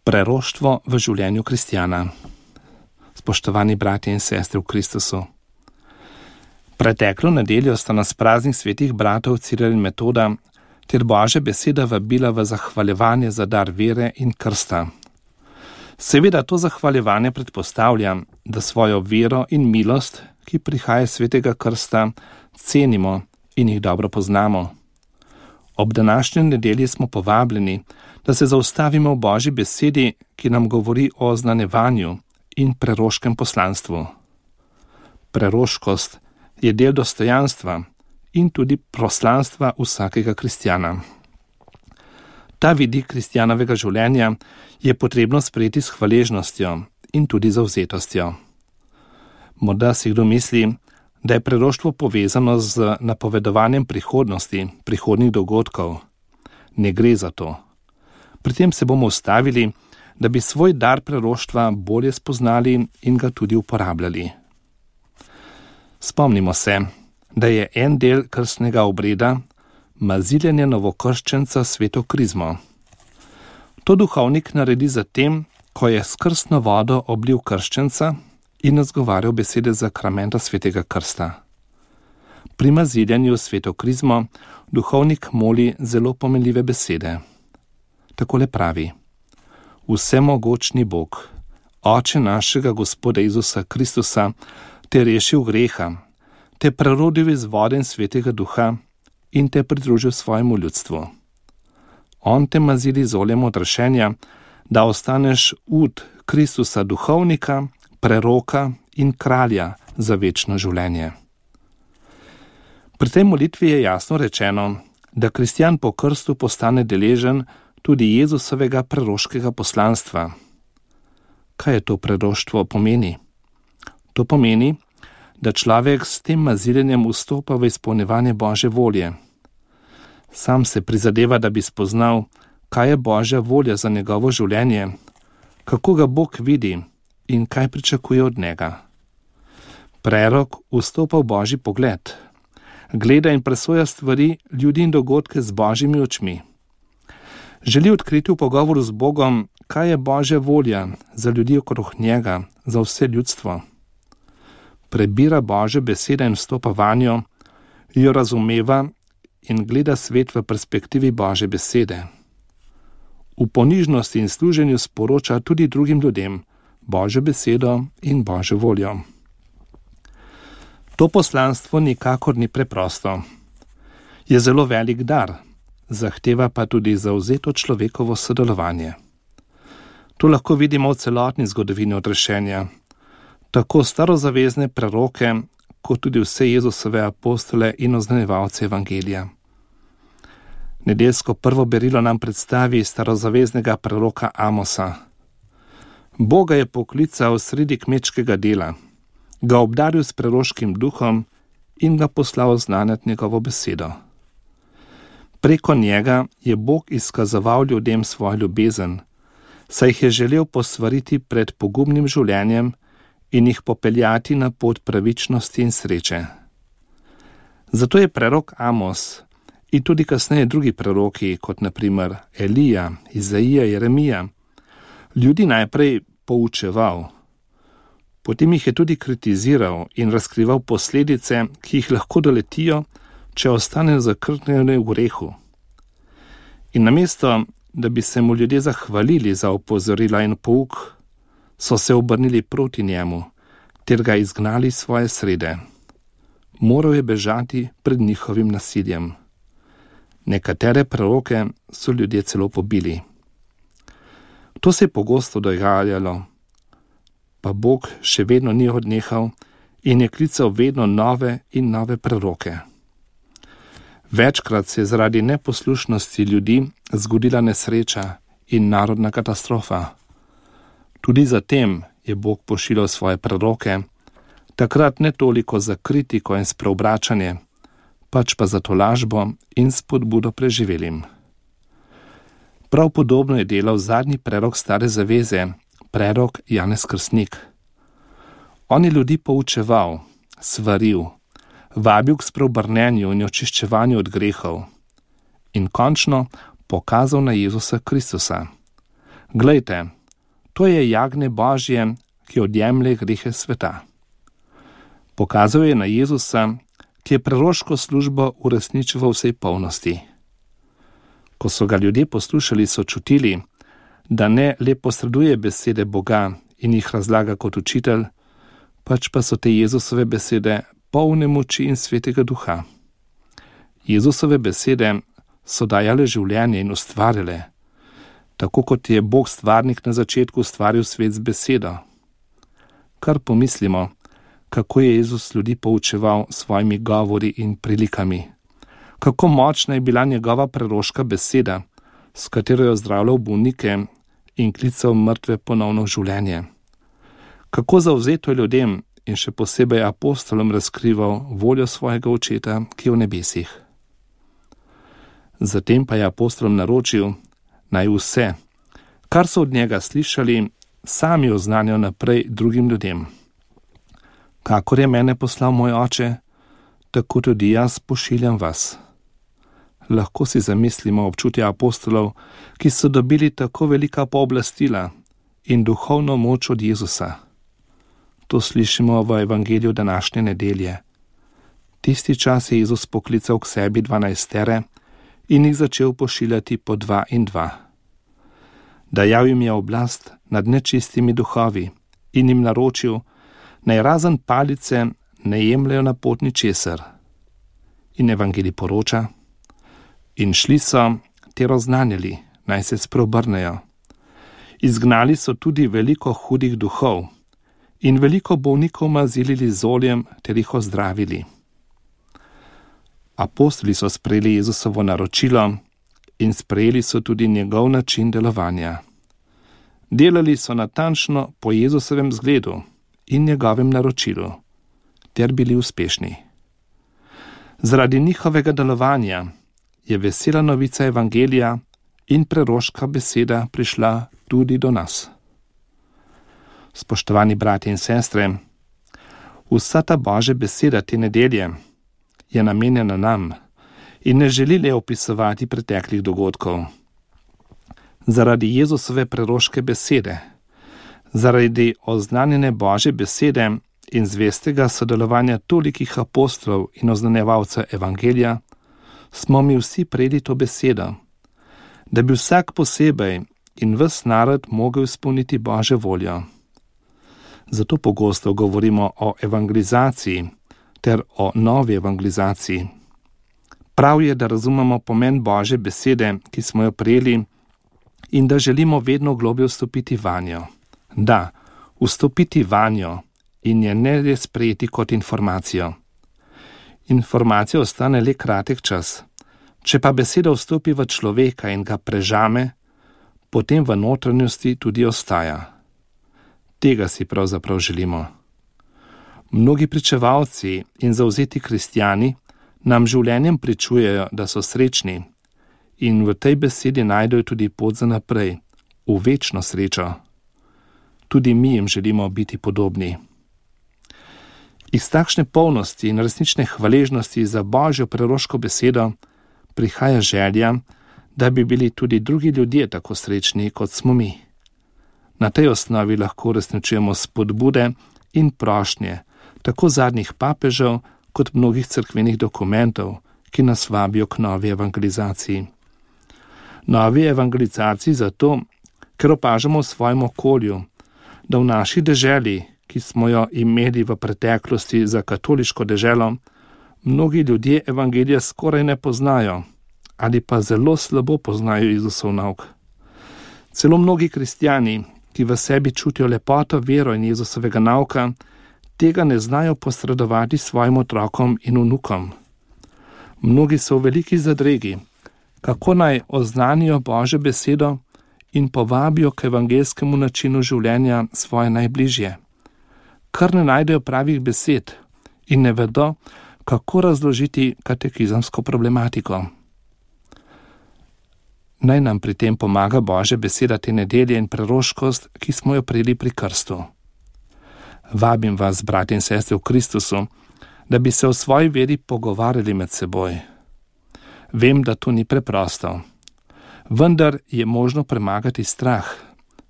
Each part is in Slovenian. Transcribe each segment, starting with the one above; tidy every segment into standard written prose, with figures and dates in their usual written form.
Preroštvo v življenju kristjana. Spoštovani bratje in sestre v Kristusu. Preteklo nedeljo sta nas praznik svetih bratov Ciril in Metoda ter Božja beseda vabila v zahvaljevanje za dar vere in krsta. Seveda to zahvaljevanje predpostavlja, da svojo vero in milost, ki prihaja iz svetega krsta, cenimo in jih dobro poznamo. Ob današnji nedelji smo povabljeni, da se zaustavimo v Božji besedi, ki nam govori o oznanjevanju in preroškem poslanstvu. Preroškost je del dostojanstva in tudi poslanstva vsakega kristjana. Ta vidik kristjanovega življenja je potrebno sprejeti s hvaležnostjo in tudi zavzetostjo. Morda si kdo misli, da je preroštvo povezano z napovedovanjem prihodnosti, prihodnjih dogodkov. Ne gre za to. Pri tem se bomo ustavili, da bi svoj dar preroštva bolje spoznali in ga tudi uporabljali. Spomnimo se, da je en del krstnega obreda maziljenje novokrščenca sveto krizmo. To duhovnik naredi zatem, ko je s krstno vodo oblil krščenca in izgovarjal besede zakramenta svetega krsta. Pri maziljenju sveto krizmo duhovnik moli zelo pomenljive besede. Takole pravi: Vsemogočni Bog, Oče našega Gospoda Jezusa Kristusa, te rešil greha, te prerodil iz vode in svetega duha in te pridružil svojemu ljudstvu. On te mazili z oljem odrešenja, da ostaneš ud Kristusa duhovnika, preroka in kralja za večno življenje. Pri tej molitvi je jasno rečeno, da kristjan po krstu postane deležen tudi Jezusovega preroškega poslanstva. Kaj je to preroštvo pomeni? To pomeni, da človek s tem maziljenjem vstopa v izpolnjevanje Božje volje. Sam se prizadeva, da bi spoznal, kaj je Božja volja za njegovo življenje, kako ga Bog vidi in kaj pričakuje od njega. Prerok vstopa v Božji pogled, gleda in presoja stvari, ljudi in dogodke z Božjimi očmi. Želi odkriti v pogovoru z Bogom, kaj je Božja volja za ljudi okrog njega, za vse ljudstvo. Prebira Božje besede in vstopa vanjo, jo razumeva in gleda svet v perspektivi Božje besede. V ponižnosti in služenju sporoča tudi drugim ljudem Božjo besedo in Božjo voljo. To poslanstvo nikakor ni preprosto. Je zelo velik dar, zahteva pa tudi zavzeto človekovo sodelovanje. To lahko vidimo v celotni zgodovini odrešenja. Tako starozavezne preroke, kot tudi vse Jezusove apostole in oznanjevalce evangelija. Nedeljsko prvo berilo nam predstavi starozaveznega preroka Amosa. Boga je poklical sredi kmečkega dela, ga obdaril s preroškim duhom in ga poslal znanjati njegovo besedo. Preko njega je Bog izkazoval ljudem svojo ljubezen, saj jih je želel posvariti pred pogubnim življenjem in jih popeljati na pot pravičnosti in sreče. Zato je prerok Amos in tudi kasneje drugi preroki, kot na primer Elija, Izaija, Jeremija, ljudi najprej poučeval, potem jih je tudi kritiziral in razkrival posledice, ki jih lahko doletijo, če ostanejo zakrknjeni v grehu. In namesto, da bi se mu ljudje zahvalili za opozorila in pouk, so se obrnili proti njemu, ter ga izgnali iz svoje srede. Moral je bežati pred njihovim nasiljem. Nekatere preroke so ljudje celo pobili. To se je pogosto dogajalo, pa Bog še vedno ni odnehal in je klical vedno nove in nove preroke. Večkrat se je zaradi neposlušnosti ljudi zgodila nesreča in narodna katastrofa. Tudi zatem je Bog pošiljal svoje preroke, takrat ne toliko za kritiko in spreobračanje, pač pa za tolažbo in spodbudo preživelim. Prav podobno je delal zadnji prerok Stare zaveze, prerok Janez Krstnik. On je ljudi poučeval, svaril, vabil k spreobrnenju in očiščevanju od grehov in končno pokazal na Jezusa Kristusa. Glejte, To je jagnje Božje, ki odjemlje grehe sveta. Pokazal je na Jezusa, ki je preroško službo uresničil v vsej polnosti. Ko so ga ljudje poslušali, so čutili, da ne le posreduje besede Boga in jih razlaga kot učitelj, pač pa so te Jezusove besede polne moči in svetega duha. Jezusove besede so dajale življenje in ustvarjale, tako kot je Bog stvarnik na začetku ustvaril svet z besedo. Kar pomislimo, kako je Jezus ljudi poučeval svojimi govori in prilikami. Kako močna je bila njegova preroška beseda, s katero je ozdravljal bolnike in klical mrtve ponovno v življenje. Kako zavzeto je ljudem in še posebej apostolom razkrival voljo svojega očeta, ki je v nebesih. Zatem pa je apostolom naročil, naj vse, kar so od njega slišali, sami oznanjajo naprej drugim ljudem. Kakor je mene poslal moj oče, tako tudi jaz pošiljam vas. Lahko si zamislimo občutje apostolov, ki so dobili tako velika pooblastila in duhovno moč od Jezusa. To slišimo v evangeliju današnje nedelje. Tisti čas je Jezus poklical k sebi 12 in jih začel pošiljati po 2 in 2. Dajal jim je oblast nad nečistimi duhovi in jim naročil, naj razen palice ne jemljajo na pot ničesar. In evangelij poroča, in šli so ter oznanjali, naj se spreobrnejo. Izgnali so tudi veliko hudih duhov in veliko bolnikov mazilili z oljem ter jih ozdravili. Apostoli so sprejeli Jezusovo naročilo in sprejeli so tudi njegov način delovanja. Delali so natančno po Jezusovem zgledu in njegovem naročilu, ter bili uspešni. Zaradi njihovega delovanja je vesela novica evangelija in preroška beseda prišla tudi do nas. Spoštovani bratje in sestre, vsa ta Božja beseda te nedelje je namenjena nam in ne želi le opisovati preteklih dogodkov. Zaradi Jezusove preroške besede, zaradi oznanjene Božje besede in zvestega sodelovanja tolikih apostolov in oznanjevalcev evangelija, smo mi vsi prejeli to besedo, da bi vsak posebej in ves narod mogel izpolniti Božjo voljo. Zato pogosto govorimo o evangelizaciji ter o novi evangelizaciji. Prav je, da razumemo pomen Božje besede, ki smo jo prejeli, in da želimo vedno globlje vstopiti vanjo. Da, vstopiti vanjo in je ne le sprejeti kot informacijo. Informacija ostane le kratek čas. Če pa beseda vstopi v človeka in ga prežame, potem v notranjosti tudi ostaja. Tega si pravzaprav želimo. Mnogi pričevalci in zavzeti kristjani nam življenjem pričujejo, da so srečni in v tej besedi najdejo tudi pot za naprej, v večno srečo. Tudi mi jim želimo biti podobni. Iz takšne polnosti in resnične hvaležnosti za Božjo preroško besedo prihaja želja, da bi bili tudi drugi ljudje tako srečni, kot smo mi. Na tej osnovi lahko uresničujemo spodbude in prošnje, tako zadnjih papežev, kot mnogih cerkvenih dokumentov, ki nas vabijo k novi evangelizaciji. Novi evangelizaciji zato, ker opažamo v svojem okolju, da v naši deželi, ki smo jo imeli v preteklosti za katoliško deželo, mnogi ljudje evangelija skoraj ne poznajo ali pa zelo slabo poznajo Jezusov nauk. Celo mnogi kristjani, ki v sebi čutijo lepoto, vero in Jezusovega nauka, tega ne znajo posredovati svojim otrokom in vnukom. Mnogi so v veliki zadregi, kako naj oznanijo Božjo besedo in povabijo k evangelskemu načinu življenja svoje najbližje. Kar ne najdejo pravih besed in ne vedo, kako razložiti katekizamsko problematiko. Naj nam pri tem pomaga Božja beseda te nedelje in preroškost, ki smo jo prejeli pri krstu. Vabim vas, bratje in sestre v Kristusu, da bi se o svoji veri pogovarjali med seboj. Vem, da to ni preprosto, vendar je možno premagati strah,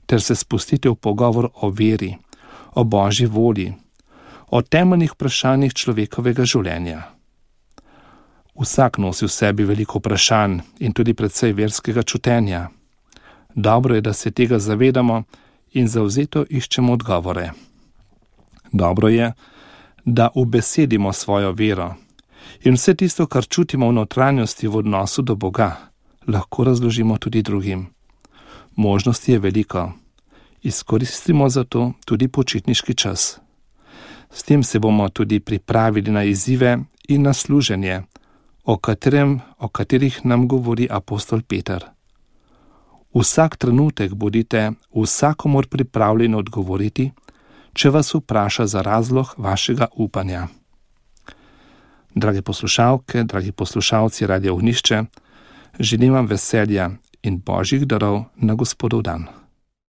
ter se spustite v pogovor o veri, o Božji volji, o temeljnih vprašanjih človekovega življenja. Vsak nosi v sebi veliko vprašanj in tudi precej verskega čutenja. Dobro je, da se tega zavedamo in zavzeto iščemo odgovore. Dobro je, da ubesedimo svojo vero in vse tisto, kar čutimo v notranjosti v odnosu do Boga, lahko razložimo tudi drugim. Možnosti je veliko. Izkoristimo za to tudi počitniški čas. S tem se bomo tudi pripravili na izzive in na služenje, o katerih nam govori apostol Peter. Vsak trenutek bodite vsakomur pripravljeni odgovoriti, če vas vpraša za razlog vašega upanja. Drage poslušalke, dragi poslušalci Radia Ognjišče, želim vam veselja in Božjih darov na Gospodov dan.